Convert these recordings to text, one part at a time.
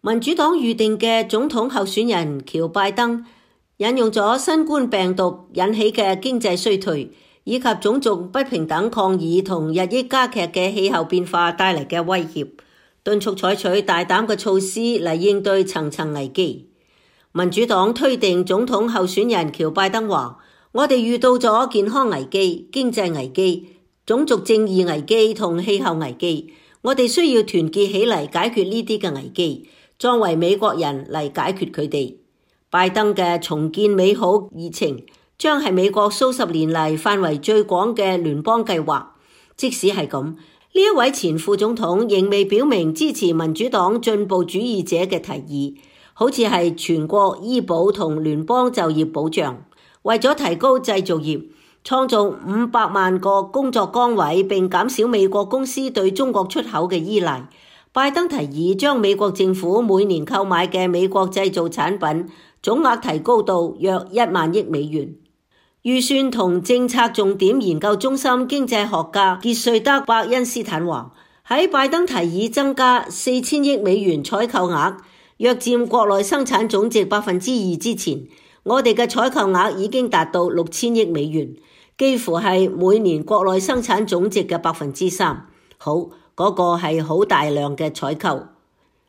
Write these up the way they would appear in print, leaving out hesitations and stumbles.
民主黨預定嘅總統候選人喬拜登引用咗新冠病毒引起嘅經濟衰退，以及種族不平等抗議同日益加劇嘅氣候變化帶嚟嘅威脅，敦促採取大膽嘅措施嚟應對層層危機。民主黨推定總統候選人喬拜登話：我哋遇到咗健康危機、經濟危機、種族正義危機同氣候危機，我哋需要團結起嚟解決呢啲嘅危機，作為美國人嚟解決佢哋。拜登嘅重建美好議程將係美國數十年嚟範圍最廣嘅聯邦計劃。即使係咁，呢一位前副總統仍未表明支持民主黨進步主義者嘅提議，好似係全國醫保同聯邦就業保障，為咗提高製造業，創造500萬個工作崗位並減少美國公司對中國出口嘅依賴。拜登提議將美國政府每年購買嘅美國製造產品總額提高到約1萬億美元。預算同政策重點研究中心經濟學家傑瑞德·伯恩斯坦話：喺拜登提議增加4000億美元採購額，約佔國內生產總值2%之前，我哋嘅採購額已經達到6000億美元，幾乎係每年國內生產總值嘅3%。好，嗰個係好大量嘅採購。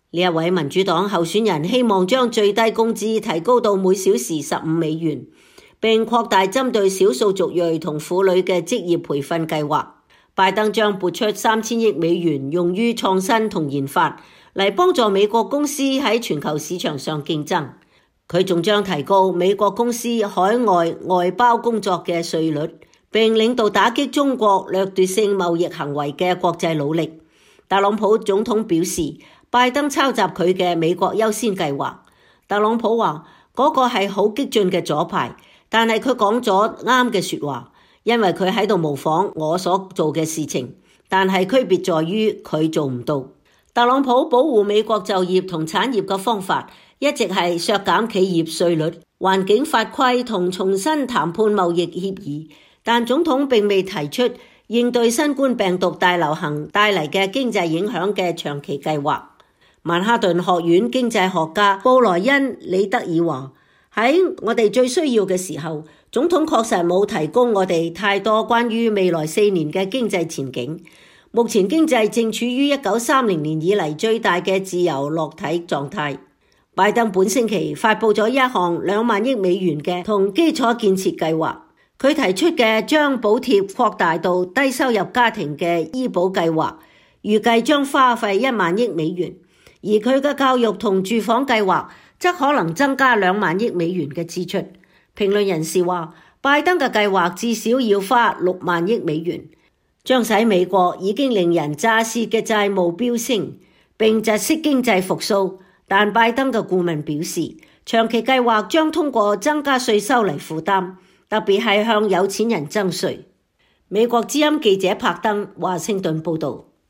呢一位民主黨候選人希望將最低工資提高到每小時15美元，並擴大針對少數族裔同婦女嘅職業培訓計劃。拜登將撥出3000億美元用於創新同研發，嚟幫助美國公司喺全球市場上競爭。佢仲將提高美國公司海外外包工作嘅稅率，並領導打擊中國掠奪性貿易行為嘅國際努力。特朗普總統表示，拜登抄襲佢嘅美國優先計劃。特朗普話嗰個係好激進嘅左派，但係佢講咗啱嘅說話，因為佢喺度模仿我所做嘅事情，但係區別在於佢做唔到。特朗普保護美國就業同產業嘅方法一直係削減企業稅率、環境法規同重新談判貿易協議，但總統並未提出應對新冠病毒大流行帶嚟嘅經濟影響嘅長期計劃。曼哈頓學院經濟學家布萊恩·李德爾話：喺我哋最需要嘅時候，總統確實冇提供我哋太多關於未來4年嘅經濟前景。目前經濟正處於1930年以嚟最大嘅自由落體狀態。拜登本星期發佈咗一項2萬億美元嘅同基礎建設計劃，佢提出嘅將補貼擴大到低收入家庭嘅醫保計劃，預計將花費1萬億美元。而佢嘅教育同住房計劃則可能增加2萬億美元嘅支出。評論人士話，拜登嘅計劃至少要花6萬億美元，將使美國已經令人咋舌嘅債務飆升，並窒息經濟復甦。但拜登嘅顧問表示，長期計劃將通過增加稅收嚟負擔，特別係向有錢人徵稅。美國之音記者柏登華盛頓報道。